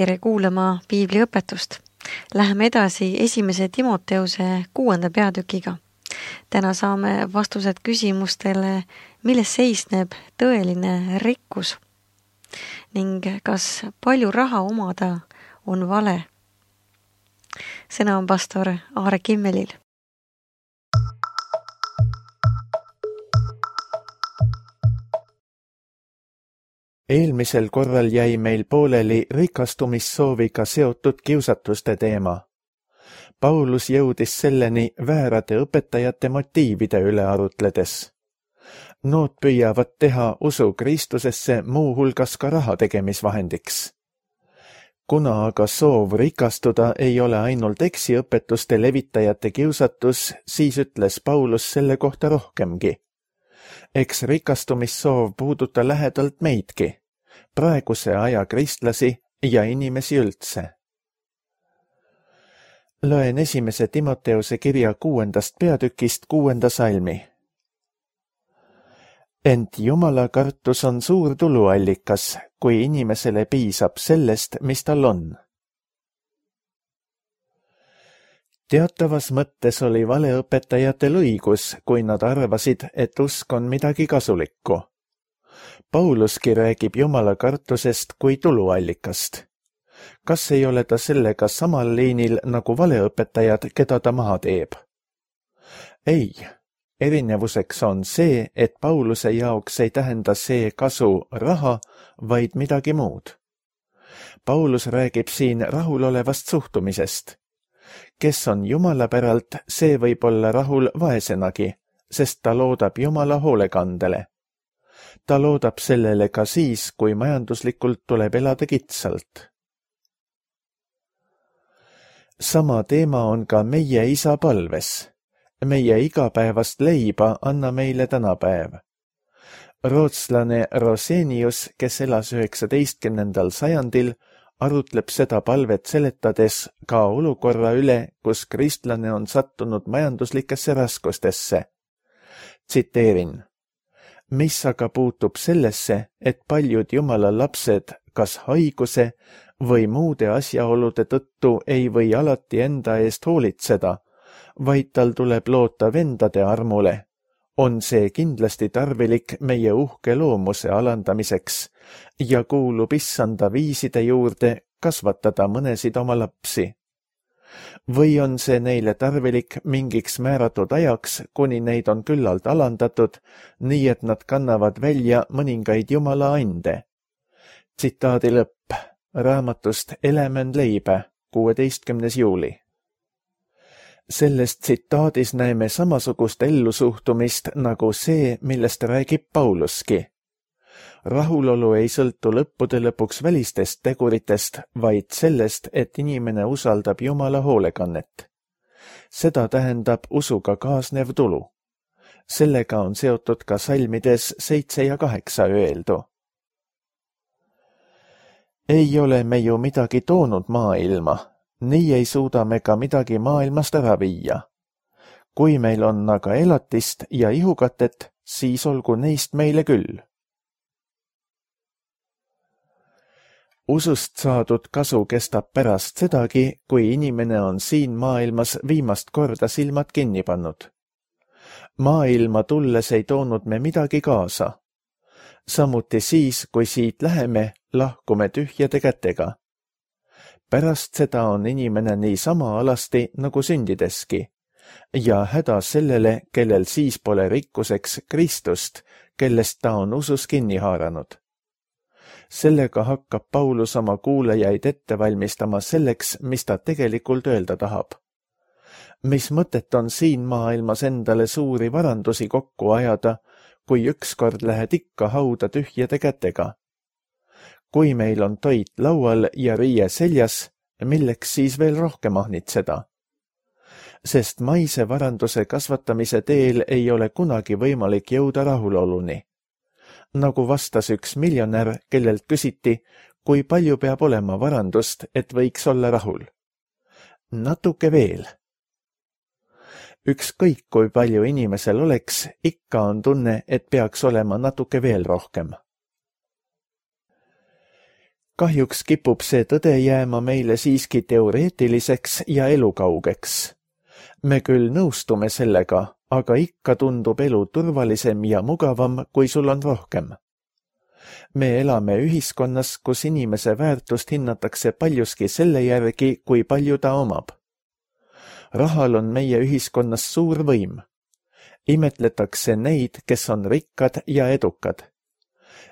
Tere kuulama piibliõpetust. Läheme edasi 1. Timoteuse 6. peatükiga. Täna saame vastused küsimustele, milles seisneb tõeline rikkus ning kas palju raha omada on vale. Sõna on pastor Aare Kimmelil. Eelmisel korral jäi meil pooleli rikastumissooviga seotud kiusatuste teema. Paulus jõudis selleni väärade õpetajate motiivide üle arutledes. Nood püüavad teha usu Kristusesse muu hulgas ka raha tegemisvahendiks. Kuna aga soov rikastuda ei ole ainult eksiõpetuste levitajate kiusatus, siis ütles Paulus selle kohta rohkemgi. Eks rikastumissoov puuduta lähedalt meidki, praeguse aja kristlasi ja inimesi üldse. Loen 1. Timoteuse kirja 6. peatükist 6. salmi. Ent Jumala kartus on suur tuluallikas, kui inimesele piisab sellest, mis tal on. Teatavas mõttes oli valeõpetajatel õigus, kui nad arvasid, et usk on midagi kasulikku. Pauluski räägib Jumala kartusest kui tuluallikast. Kas ei ole ta sellega samal liinil nagu valeõpetajad, keda ta maha teeb? Ei, erinevuseks on see, et Pauluse jaoks ei tähenda see kasu raha, vaid midagi muud. Paulus räägib siin rahulolevast suhtumisest. Kes on Jumala päralt, see võib olla rahul vaesenagi, sest ta loodab Jumala hoolekandele. Ta loodab sellele ka siis, kui majanduslikult tuleb elada kitsalt. Sama teema on ka meie isa palves. Meie igapäevast leiba anna meile tänapäev. Rootslane Rosenius, kes elas 19. sajandil, arutleb seda palvet seletades ka olukorra üle, kus kristlane on sattunud majanduslikesse raskustesse. Tsiteerin. Mis aga puutub sellesse, et paljud Jumala lapsed kas haiguse või muude asjaolude tõttu ei või alati enda eest hoolitseda, vaid tal tuleb loota vendade armule, on see kindlasti tarvilik meie uhke loomuse alandamiseks ja kuulub issanda viiside juurde kasvatada mõnesid oma lapsi. Või on see neile tarvilik mingiks määratud ajaks, kuni neid on küllalt alandatud, nii et nad kannavad välja mõningaid Jumala ande. Tsitaadi lõpp raamatust Element leibe, 16. juuli. Selles tsitaadis näeme samasugust ellusuhtumist nagu see, millest räägib Pauluski. Rahulolu ei sõltu lõppude lõpuks välistest teguritest, vaid sellest, et inimene usaldab Jumala hoolekannet. Seda tähendab usuga kaasnev tulu. Sellega on seotud ka salmides 7 ja 8 öeldu. Ei ole me ju midagi toonud maailma, nii ei suuda me ka midagi maailmast ära viia. Kui meil on aga elatist ja ihukatet, siis olgu neist meile küll. Usust saadud kasu kestab pärast sedagi, kui inimene on siin maailmas viimast korda silmad kinni pannud. Maailma tulles ei toonud me midagi kaasa. Samuti siis, kui siit läheme, lahkume tühjade kätega. Pärast seda on inimene nii sama alasti nagu sündideski ja häda sellele, kellel siis pole rikkuseks Kristust, kellest ta on usus kinni haaranud. Sellega hakkab Paulus oma kuulajaid ette valmistama selleks, mis ta tegelikult öelda tahab. Mis mõtet on siin maailmas endale suuri varandusi kokku ajada, kui ükskord lähed ikka hauda tühjade kätega? Kui meil on toit laual ja riie seljas, milleks siis veel rohkem ahnitseda? Sest maise varanduse kasvatamise teel ei ole kunagi võimalik jõuda rahuloluni. Nagu vastas üks miljonär, kellelt küsiti, kui palju peab olema varandust, et võiks olla rahul. Natuke veel. Ükskõik kui palju inimesel oleks, ikka on tunne, et peaks olema natuke veel rohkem. Kahjuks kipub see tõde jääma meile siiski teoreetiliseks ja elukaugeks. Me küll nõustume sellega, aga ikka tundub elu turvalisem ja mugavam, kui sul on rohkem. Me elame ühiskonnas, kus inimese väärtust hinnatakse paljuski selle järgi, kui palju ta omab. Rahal on meie ühiskonnas suur võim. Imetletakse neid, kes on rikkad ja edukad.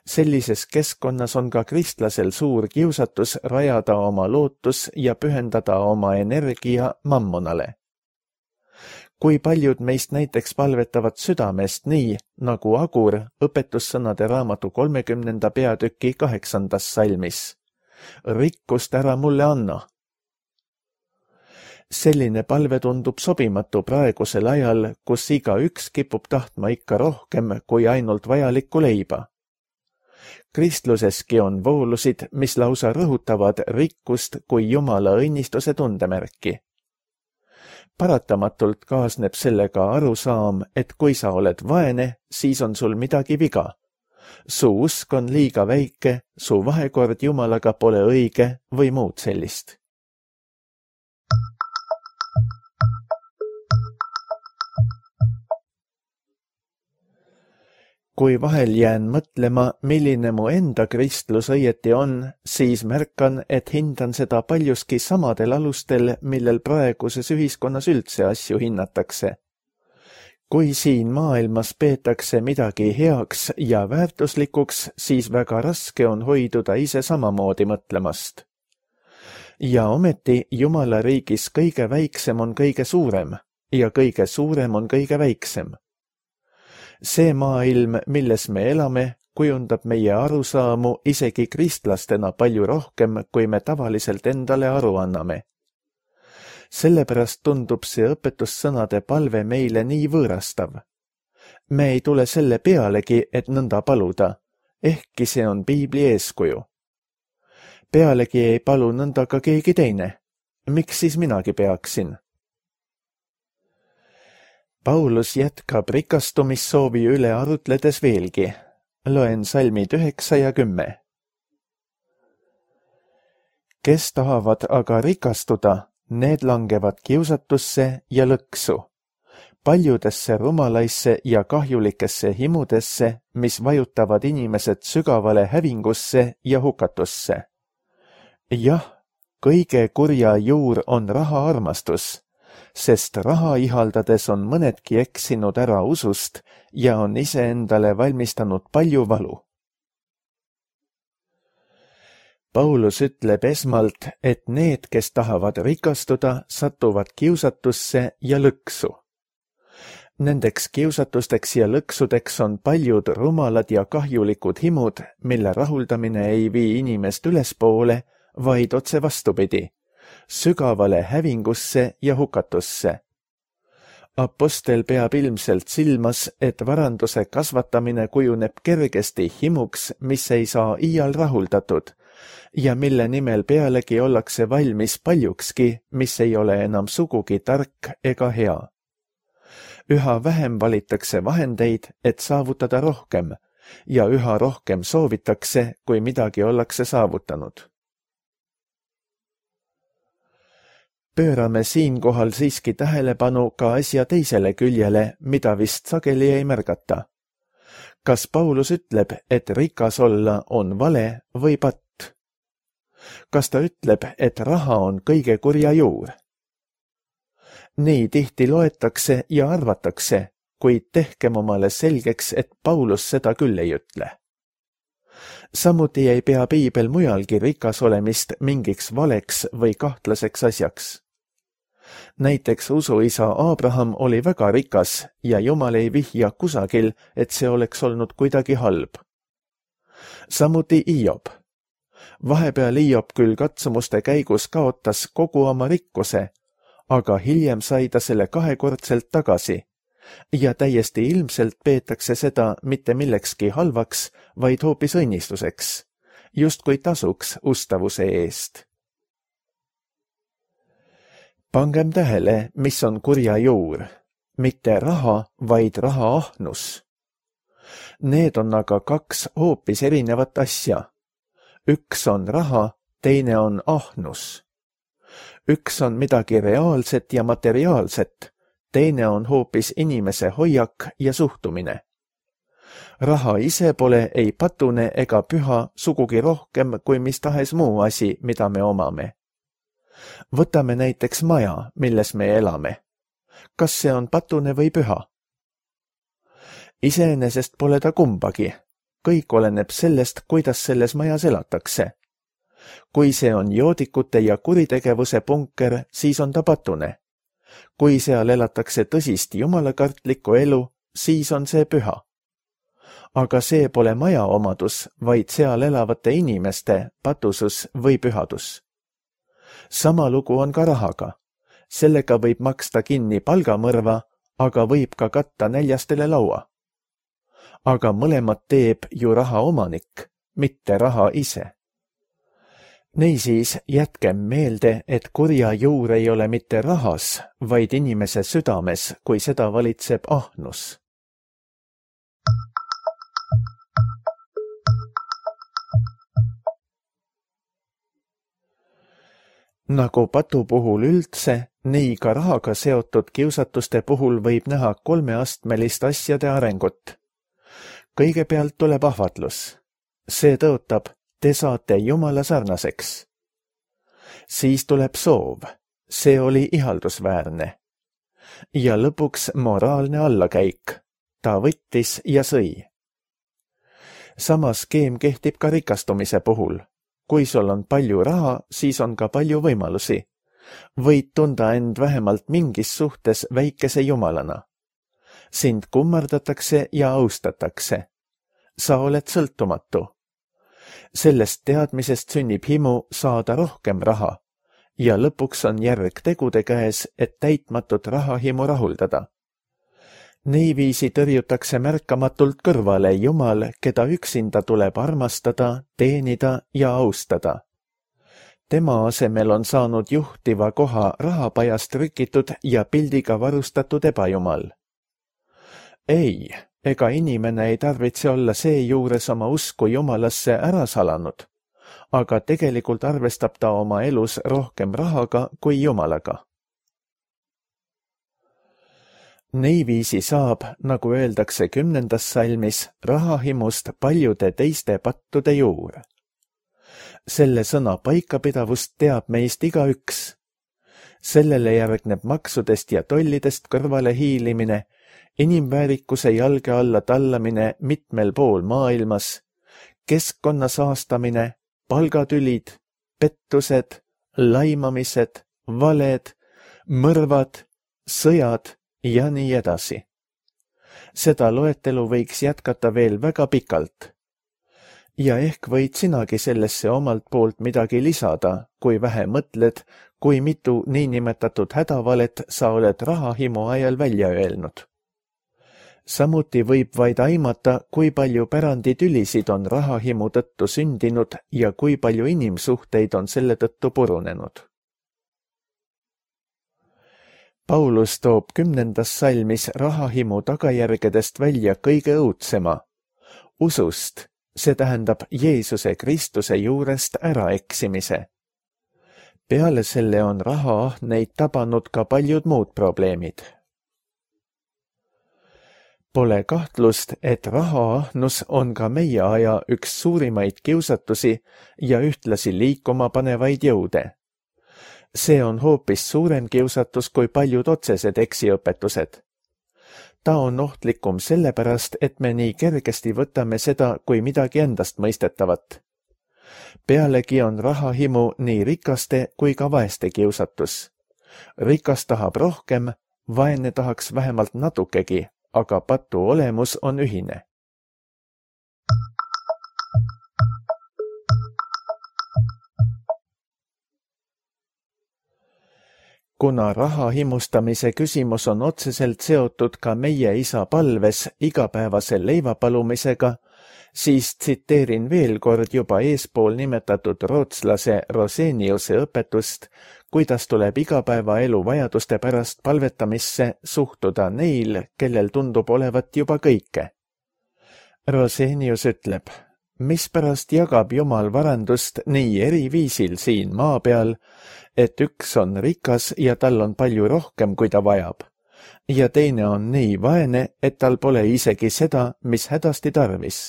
Sellises keskkonnas on ka kristlasel suur kiusatus rajada oma lootus ja pühendada oma energia mammonale. Kui paljud meist näiteks palvetavad südamest nii, nagu Agur õpetussõnade raamatu 30. peatüki 8. salmis. Rikkust ära mulle anna. Selline palve tundub sobimatu praegusel ajal, kus igaüks kipub tahtma ikka rohkem kui ainult vajalikku leiba. Kristluseski on voolusid, mis lausa rõhutavad rikkust kui Jumala õnnistuse tundemärki. Paratamatult kaasneb sellega arusaam, et kui sa oled vaene, siis on sul midagi viga. Su usk on liiga väike, su vahekord Jumalaga pole õige või muud sellist. Kui vahel jään mõtlema, milline mu enda kristlus õieti on, siis märkan, et hindan seda paljuski samadel alustel, millel praeguses ühiskonnas üldse asju hinnatakse. Kui siin maailmas peetakse midagi heaks ja väärtuslikuks, siis väga raske on hoiduda ise samamoodi mõtlemast. Ja ometi Jumala riigis kõige väiksem on kõige suurem ja kõige suurem on kõige väiksem. See maailm, milles me elame, kujundab meie arusaamu isegi kristlastena palju rohkem, kui me tavaliselt endale aru anname. Sellepärast tundub see õpetussõnade palve meile nii võõrastav. Me ei tule selle pealegi, et nõnda paluda, ehkki see on Piibli eeskuju. Pealegi ei palu nõnda ka keegi teine. Miks siis minagi peaksin? Paulus jätkab rikastumissoovi üle arutledes veelgi. Loen salmid 9 ja 10. Kes tahavad aga rikastuda, need langevad kiusatusse ja lõksu, paljudesse rumalaisse ja kahjulikesse himudesse, mis vajutavad inimesed sügavale hävingusse ja hukatusse. Jah, kõige kurja juur on rahaarmastus, sest raha ihaldades on mõnedki eksinud ära usust ja on iseendale valmistanud palju valu. Paulus ütleb esmalt, et need, kes tahavad rikastuda, satuvad kiusatusse ja lõksu. Nendeks kiusatusteks ja lõksudeks on paljud rumalad ja kahjulikud himud, mille rahuldamine ei vii inimest ülespoole, vaid otse vastupidi, sügavale hävingusse ja hukatusse. Apostel peab ilmselt silmas, et varanduse kasvatamine kujuneb kergesti himuks, mis ei saa iial rahuldatud ja mille nimel pealegi ollakse valmis paljukski, mis ei ole enam sugugi tark ega hea. Üha vähem valitakse vahendeid, et saavutada rohkem ja üha rohkem soovitakse, kui midagi ollakse saavutanud. Pöörame siinkohal siiski tähelepanu ka asja teisele küljele, mida vist sageli ei märgata. Kas Paulus ütleb, et rikas olla on vale või patt? Kas ta ütleb, et raha on kõige kurja juur? Nii tihti loetakse ja arvatakse, kuid tehkem omale selgeks, et Paulus seda küll ei ütle. Samuti ei pea Piibel mujalgi rikas olemist mingiks valeks või kahtlaseks asjaks. Näiteks usuisa Abraham oli väga rikas ja Jumal ei vihja kusagil, et see oleks olnud kuidagi halb. Samuti Hiob. Vahepeal Hiob küll katsumuste käigus kaotas kogu oma rikkuse, aga hiljem sai ta selle kahekordselt tagasi ja täiesti ilmselt peetakse seda mitte millekski halvaks, vaid hoopis õnnistuseks, justkui tasuks ustavuse eest. Pangem tähele, mis on kurja juur, mitte raha, vaid rahaahnus. Need on aga kaks hoopis erinevat asja. üks on raha, teine on ahnus. Üks on midagi reaalset ja materiaalset, teine on hoopis inimese hoiak ja suhtumine. Raha ise pole ei patune ega püha sugugi rohkem kui mis tahes muu asi, mida me omame. Võtame näiteks maja, milles me elame. Kas see on patune või püha? Iseenesest pole ta kumbagi. Kõik oleneb sellest, kuidas selles majas elatakse. Kui see on joodikute ja kuritegevuse punker, siis on ta patune. Kui seal elatakse tõsist jumalakartlikku elu, siis on see püha. Aga see pole maja omadus, vaid seal elavate inimeste patusus või pühadus. Sama lugu on ka rahaga. Sellega võib maksta kinni palgamõrva, aga võib ka katta näljastele laua. Aga mõlemad teeb ju raha omanik, mitte raha ise. Niisiis jätkem meelde, et kurja juur ei ole mitte rahas, vaid inimese südames, kui seda valitseb ahnus. Nagu patu puhul üldse, nii ka rahaga seotud kiusatuste puhul võib näha kolmeastmelist asjade arengut. Kõigepealt tuleb ahvatlus. See tõotab, te saate Jumala sarnaseks. Siis tuleb soov. See oli ihaldusväärne. Ja lõpuks moraalne allakäik. Ta võttis ja sõi. Sama skeem kehtib ka rikastumise puhul. Kui sul on palju raha, siis on ka palju võimalusi. Võid tunda end vähemalt mingis suhtes väikese jumalana. Sind kummardatakse ja austatakse. Sa oled sõltumatu. Sellest teadmisest sünnib himu saada rohkem raha ja lõpuks on järg tegude käes, et täitmatut rahahimu rahuldada. Niiviisi tõrjutakse märkamatult kõrvale Jumal, keda üksinda tuleb armastada, teenida ja austada. Tema asemel on saanud juhtiva koha rahapajast trükitud ja pildiga varustatud ebajumal. Ei, ega inimene ei tarvitse olla seejuures oma usku Jumalasse ära salanud, aga tegelikult arvestab ta oma elus rohkem rahaga kui Jumalaga. Niiviisi saab, nagu öeldakse 10. salmis, rahahimust paljude teiste pattude juur. Selle sõna paikapidavust teab meist igaüks. Sellele järgneb maksudest ja tollidest kõrvale hiilimine, inimväärikuse jalge alla tallamine mitmel pool maailmas, keskkonna saastamine, palgatülid, pettused, laimamised, valed, mõrvad, sõjad ja nii edasi. Seda loetelu võiks jätkata veel väga pikalt. Ja ehk võid sinagi sellesse omalt poolt midagi lisada, kui vähe mõtled, kui mitu niinimetatud hädavalet sa oled rahahimu ajal välja öelnud. Samuti võib vaid aimata, kui palju päranditülisid on rahahimu tõttu sündinud ja kui palju inimsuhteid on selle tõttu purunenud. Paulus toob 10. salmis rahahimu tagajärgedest välja kõige õudsema, usust, see tähendab Jeesuse Kristuse juurest äraeksimise. Peale selle on rahaahneid tabanud ka paljud muud probleemid. Pole kahtlust, et rahaahnus on ka meie aja üks suurimaid kiusatusi ja ühtlasi liikuma panevaid jõude. See on hoopis suurem kiusatus kui paljud otsesed eksiõpetused. Ta on ohtlikum sellepärast, et me nii kergesti võtame seda kui midagi endast mõistetavat. Pealegi on rahahimu nii rikaste kui ka vaeste kiusatus. Rikas tahab rohkem, vaene tahaks vähemalt natukegi, aga patu olemus on ühine. Kuna raha himustamise küsimus on otseselt seotud ka meie isa palves igapäevase leivapalumisega, siis tsiteerin veel kord juba eespool nimetatud rootslase Roseniuse õpetust, kuidas tuleb igapäevaelu vajaduste pärast palvetamisse suhtuda neil, kellel tundub olevat juba kõike. Rosenius ütleb, mispärast jagab Jumal varandust nii eri viisil siin maa peal, et üks on rikas ja tal on palju rohkem, kui ta vajab, ja teine on nii vaene, et tal pole isegi seda, mis hädasti tarvis.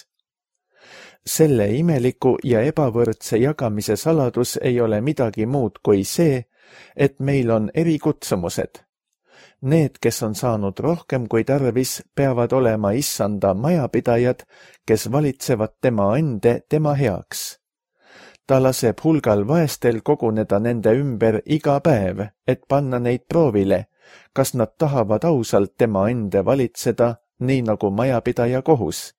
Selle imeliku ja ebavõrdse jagamise saladus ei ole midagi muud kui see, et meil on erikutsumused. Need, kes on saanud rohkem kui tarvis, peavad olema issanda majapidajad, kes valitsevad tema ande tema heaks. Ta laseb hulgal vaestel koguneda nende ümber iga päev, et panna neid proovile, kas nad tahavad ausalt tema ande valitseda, nii nagu majapidaja kohus,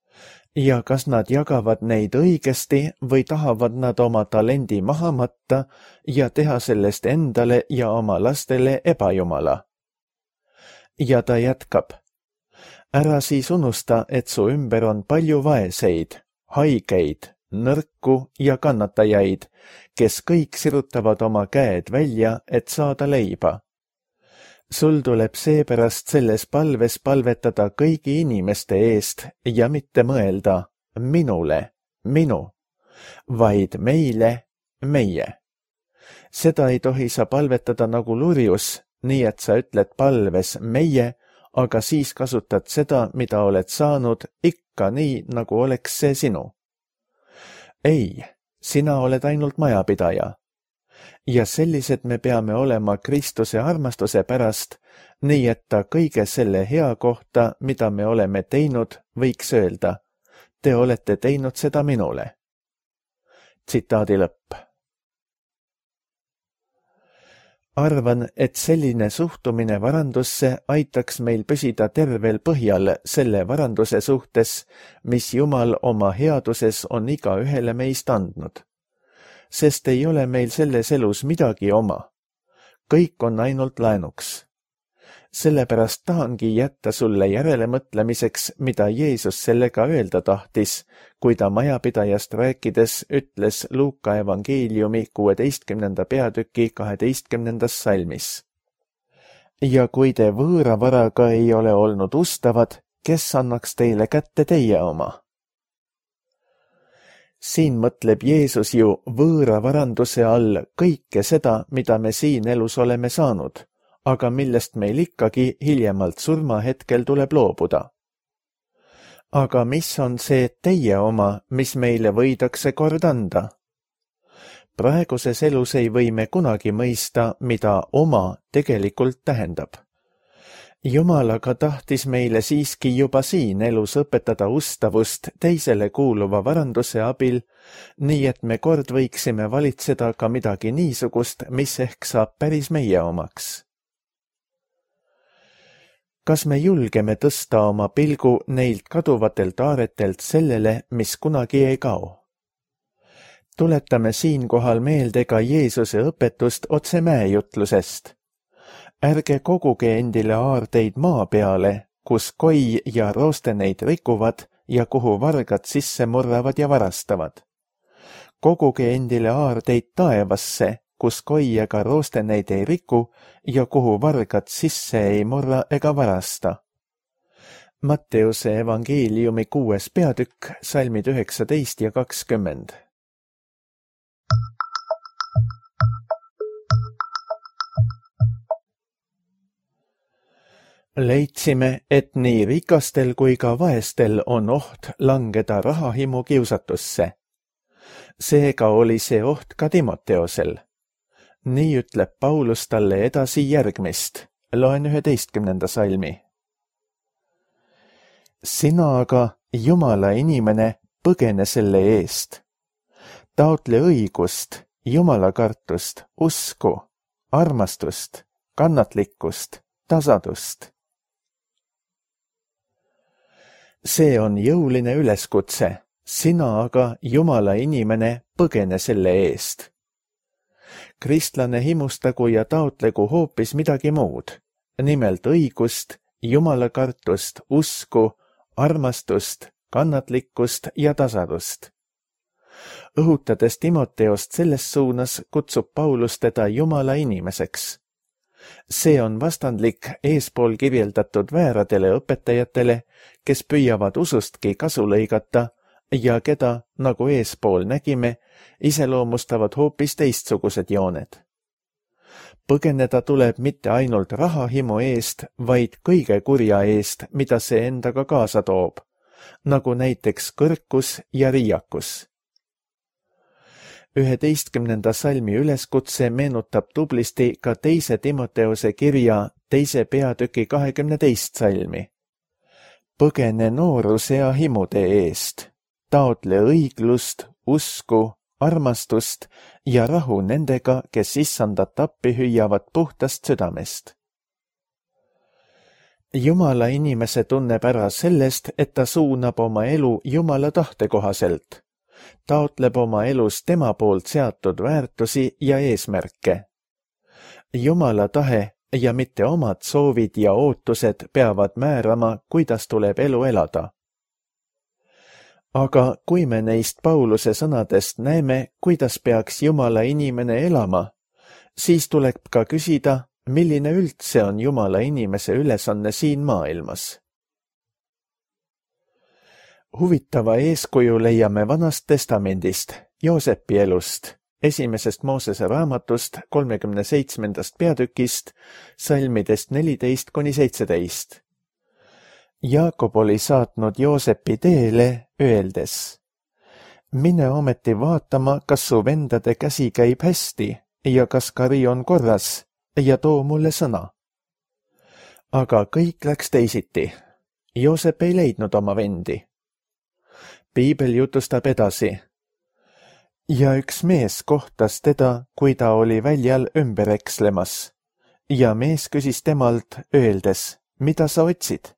ja kas nad jagavad neid õigesti või tahavad nad oma talendi maha matta ja teha sellest endale ja oma lastele ebajumala. Ja ta jätkab. Ära siis unusta, et su ümber on palju vaeseid, haigeid, nõrku ja kannatajaid, kes kõik sirutavad oma käed välja, et saada leiba. Sul tuleb seepärast selles palves palvetada kõigi inimeste eest ja mitte mõelda minule, minu, vaid meile, meie. Seda ei tohi sa palvetada nagu lurjus, nii et sa ütled palves meie, aga siis kasutad seda, mida oled saanud, ikka nii, nagu oleks see sinu. Ei, sina oled ainult majapidaja. Ja sellised me peame olema Kristuse armastuse pärast, nii et ta kõige selle hea kohta, mida me oleme teinud, võiks öelda, te olete teinud seda minule. Tsitaadi lõpp. Arvan, et selline suhtumine varandusse aitaks meil püsida tervel põhjal selle varanduse suhtes, mis Jumal oma headuses on igaühele meist andnud. Sest ei ole meil selles elus midagi oma. Kõik on ainult laenuks. Sellepärast tahangi jätta sulle järelemõtlemiseks, mida Jeesus sellega öelda tahtis, kui ta majapidajast rääkides ütles Luuka evangeeliumi 16. peatüki 12. salmis. Ja kui te võõra varaga ei ole olnud ustavad, kes annaks teile kätte teie oma? Siin mõtleb Jeesus ju võõra varanduse all kõike seda, mida me siin elus oleme saanud, aga millest meil ikkagi hiljemalt surmahetkel tuleb loobuda. Aga mis on see teie oma, mis meile võidakse kord anda? Praeguses elus ei või me kunagi mõista, mida oma tegelikult tähendab. Jumal aga tahtis meile siiski juba siin elus õpetada ustavust teisele kuuluva varanduse abil, nii et me kord võiksime valitseda ka midagi niisugust, mis ehk saab päris meie omaks. Kas me julgeme tõsta oma pilgu neilt kaduvatelt aaretelt sellele, mis kunagi ei kao? Tuletame siinkohal meelde ka Jeesuse õpetust otse mäejutlusest. Ärge koguge endile aardeid maa peale, kus koi ja rooste neid rikuvad ja kuhu vargad sisse murravad ja varastavad. Koguge endile aardeid taevasse, kus koi ega rooste neid ei riku ja kuhu vargad sisse ei murra ega varasta. Matteuse evangeeliumi 6. peatükk, salmid 19 ja 20. Leidsime, et nii rikastel kui ka vaestel on oht langeda rahahimu kiusatusse. Seega oli see oht ka Timoteosel. Nii ütleb Paulus talle edasi järgmist. Loen 11. salmi. Sina aga, Jumala inimene, põgene selle eest. Taotle õigust, jumalakartust, usku, armastust, kannatlikkust, tasadust. See on jõuline üleskutse, sina aga, Jumala inimene, põgene selle eest. Kristlane himustagu ja taotlegu hoopis midagi muud, nimelt õigust, jumalakartust, usku, armastust, kannatlikkust ja tasadust. Õhutades Timoteost selles suunas, kutsub Paulus teda Jumala inimeseks. See on vastandlik eespool kirjeldatud vääradele õpetajatele, kes püüavad usustki kasu lõigata ja keda, nagu eespool nägime, iseloomustavad hoopis teistsugused jooned. Põgeneda tuleb mitte ainult rahahimu eest, vaid kõige kurja eest, mida see endaga kaasa toob, nagu näiteks kõrkus ja riiakus. 11. salmi üleskutse meenutab tublisti ka 2. Timoteuse kirja 2. peatüki 22. salmi. Põgene nooruse ja himude eest, taotle õiglust, usku, armastust ja rahu nendega, kes issandat appi hüüavad puhtast südamest. Jumala inimese tunneb ära sellest, et ta suunab oma elu Jumala tahte kohaselt, taotleb oma elus tema poolt seatud väärtusi ja eesmärke. Jumala tahe ja mitte omad soovid ja ootused peavad määrama, kuidas tuleb elu elada. Aga kui me neist Pauluse sõnadest näeme, kuidas peaks Jumala inimene elama, siis tuleb ka küsida, milline üldse on Jumala inimese ülesanne siin maailmas. Huvitava eeskuju leiame Vanast Testamendist, Joosepi elust, 1. Moosese raamatust 37. peatükist, salmidest 14–17. Jaakob oli saatnud Joosepi teele, öeldes: mine ometi vaatama, kas su vendade käsi käib hästi ja kas kari on korras ja too mulle sõna. Aga kõik läks teisiti. Joosep ei leidnud oma vendi. Piibel jutustab edasi. Ja üks mees kohtas teda, kui ta oli väljal ümber ekslemas. Ja mees küsis temalt, öeldes, mida sa otsid?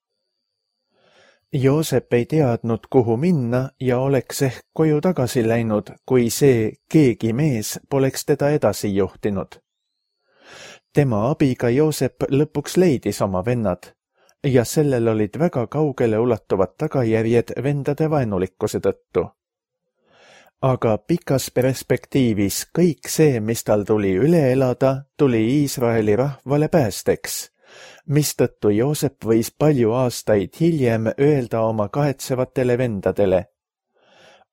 Joosep ei teadnud, kuhu minna ja oleks ehk koju tagasi läinud, kui see keegi mees poleks teda edasi juhtinud. Tema abiga Joosep lõpuks leidis oma vennad ja sellel olid väga kaugele ulatuvad tagajärjed vendade vaenulikkuse tõttu. Aga pikas perspektiivis kõik see, mis tal tuli üle elada, tuli Iisraeli rahvale päästeks, mistõttu Joosep võis palju aastaid hiljem öelda oma kahetsevatele vendadele: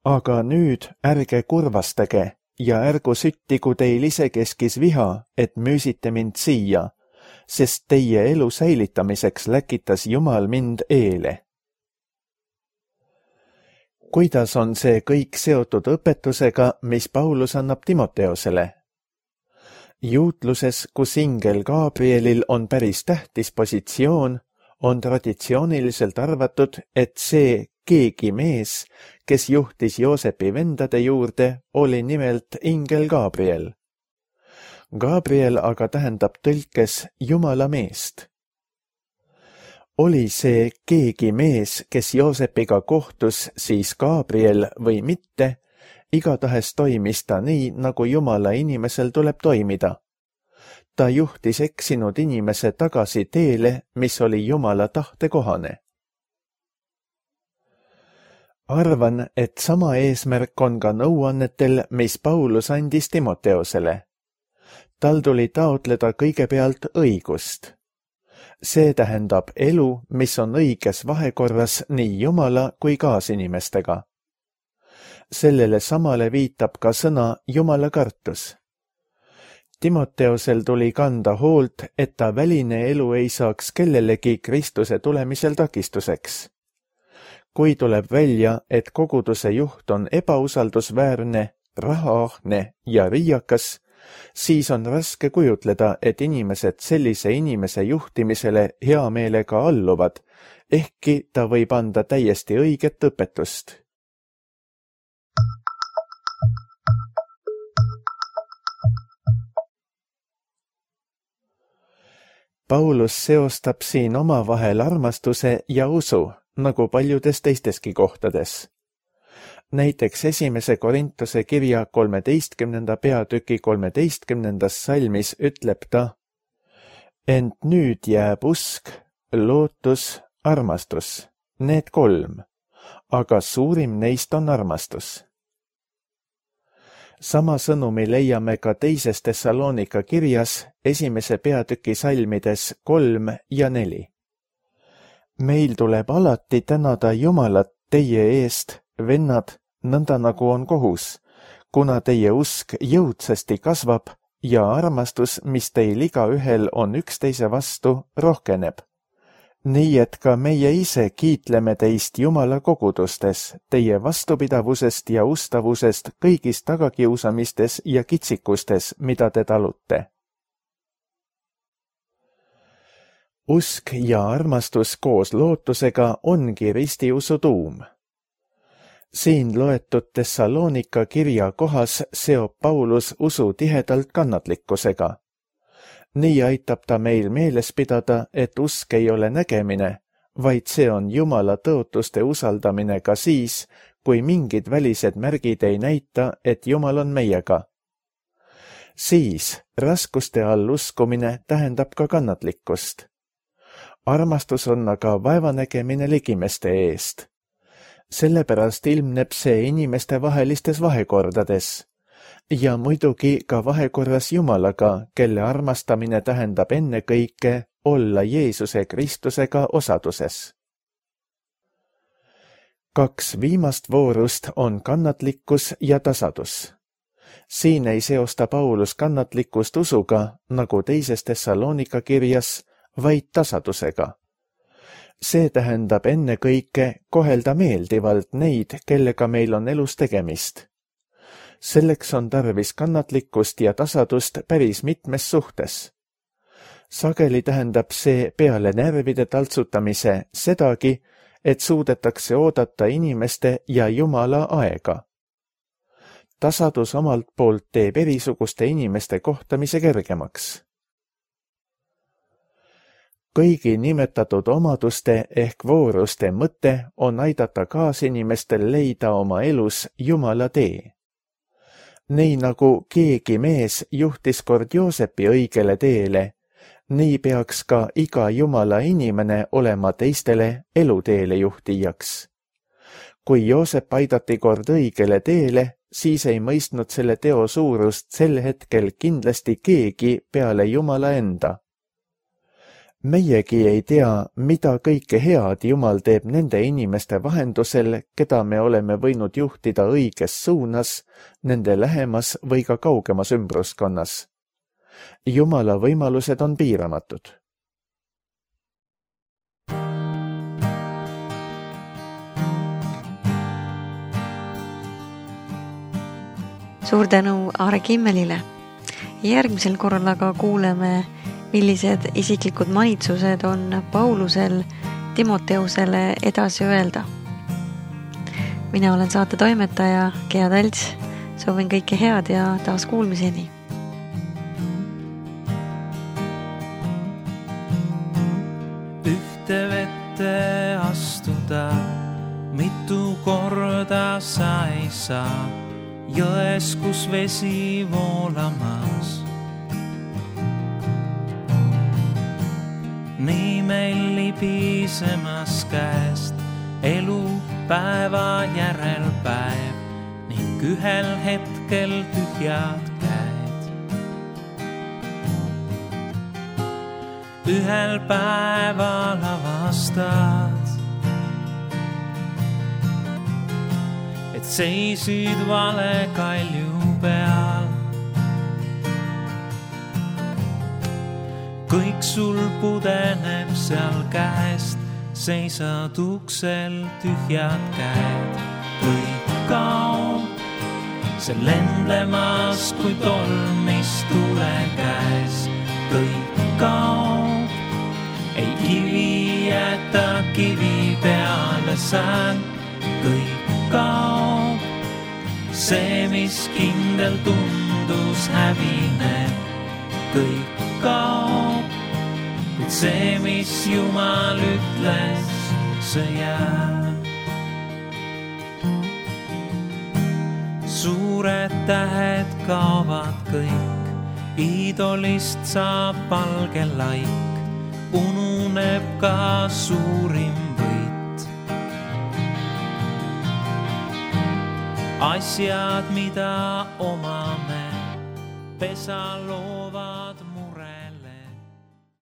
aga nüüd ärge kurvastage ja ärgu süttigu teil isekeskis viha, et müüsite mind siia, sest teie elu säilitamiseks läkitas Jumal mind eele. Kuidas on see kõik seotud õpetusega, mis Paulus annab Timoteosele? Juutluses, kus ingel Gabrielil on päris tähtis positsioon, on traditsiooniliselt arvatud, et see keegi mees, kes juhtis Joosepi vendade juurde, oli nimelt ingel Gabriel. Gabriel aga tähendab tõlkes Jumala meest. Oli see keegi mees, kes Joosepiga kohtus, siis Gabriel või mitte, igatahes toimis ta nii, nagu Jumala inimesel tuleb toimida. Ta juhtis eksinud inimese tagasi teele, mis oli Jumala tahte kohane. Arvan, et sama eesmärk on ka nõuannetel, mis Paulus andis Timoteosele. Tal tuli taotleda kõigepealt õigust. See tähendab elu, mis on õiges vahekorras nii Jumala kui kaasinimestega. Sellele samale viitab ka sõna Jumala kartus. Timoteosel tuli kanda hoolt, et ta väline elu ei saaks kellelegi Kristuse tulemisel takistuseks. Kui tuleb välja, et koguduse juht on ebausaldusväärne, rahaahne ja riiakas, siis on raske kujutleda, et inimesed sellise inimese juhtimisele hea meelega alluvad, ehkki ta võib anda täiesti õiget õpetust. Paulus seostab siin omavahel armastuse ja usu, nagu paljudes teisteski kohtades. Näiteks 1. Korintuse kirja 13. peatüki 13. salmis ütleb ta: ent nüüd jääb usk, lootus, armastus, need 3, aga suurim neist on armastus. Sama sõnumi leiame ka 2. Thessalonika kirjas 1. peatüki salmides 3 ja 4. Meil tuleb alati tänada Jumalat teie eest, vennad, nõnda nagu on kohus, kuna teie usk jõudsasti kasvab ja armastus, mis teil igaühel on üksteise vastu, rohkeneb. Nii et ka meie ise kiitleme teist Jumala kogudustes, teie vastupidavusest ja ustavusest kõigis tagakiusamistes ja kitsikustes, mida te talute. Usk ja armastus koos lootusega ongi ristiusu tuum. Siin loetud Thessalonika kirja kohas seob Paulus usu tihedalt kannatlikkusega. Nii aitab ta meil meeles pidada, et usk ei ole nägemine, vaid see on Jumala tõotuste usaldamine ka siis, kui mingid välised märgid ei näita, et Jumal on meiega. Siis raskuste all uskumine tähendab ka kannatlikkust. Armastus on aga vaevanägemine ligimeste eest. Sellepärast ilmneb see inimeste vahelistes vahekordades. Ja muidugi ka vahekorras Jumalaga, kelle armastamine tähendab ennekõike olla Jeesuse Kristusega osaduses. 2 viimast voorust on kannatlikkus ja tasadus. Siin ei seosta Paulus kannatlikkust usuga, nagu teises Thessalonika kirjas, vaid tasadusega. See tähendab ennekõike kohelda meeldivalt neid, kellega meil on elus tegemist. Selleks on tarvis kannatlikkust ja tasadust päris mitmes suhtes. Sageli tähendab see peale närvide taltsutamise sedagi, et suudetakse oodata inimeste ja Jumala aega. Tasadus omalt poolt teeb erisuguste inimeste kohtamise kergemaks. Kõigi nimetatud omaduste ehk vooruste mõte on aidata kaasinimestel leida oma elus Jumala tee. Nii nagu keegi mees juhtis kord Joosepi õigele teele, nii peaks ka iga Jumala inimene olema teistele eluteele juhtijaks. Kui Joosep aidati kord õigele teele, siis ei mõistnud selle teo suurust sel hetkel kindlasti keegi peale Jumala enda. Meiegi ei tea, mida kõike head Jumal teeb nende inimeste vahendusel, keda me oleme võinud juhtida õiges suunas, nende lähemas või ka kaugemas ümbruskonnas. Jumala võimalused on piiramatud. Suur tänu Aare Kimmelile. Järgmisel korral aga kuuleme, millised isiklikud manitsused on Paulusel Timoteusele edasi öelda. Mina olen saate toimetaja Gea Talts, soovin kõike head ja taas kuulmiseni. Ühte vette astuda, mitu korda sa ei saa, jões, kus vesi voolamas. Nii meil libisemas käest elu päeva järel päev ning ühel hetkel tühjad käed. Ühel päeval avastad, et seisid vale kalju peal. Kõik sul pudeneb seal käest, seisad uksel tühjad käed. Kõik kaob, see lendlemas kui tolm, mis tule käes. Kõik kaob, ei kivi jäta kivi peale sään. Kõik kaob, see, mis kindel tundus hävineb. Kõik kaob, kuid see, mis Jumal ütles, see jääb. Suured tähed kaovad kõik, iidolist saab valge laik, ununeb ka suurim võit. Asjad, mida omame, pesa loo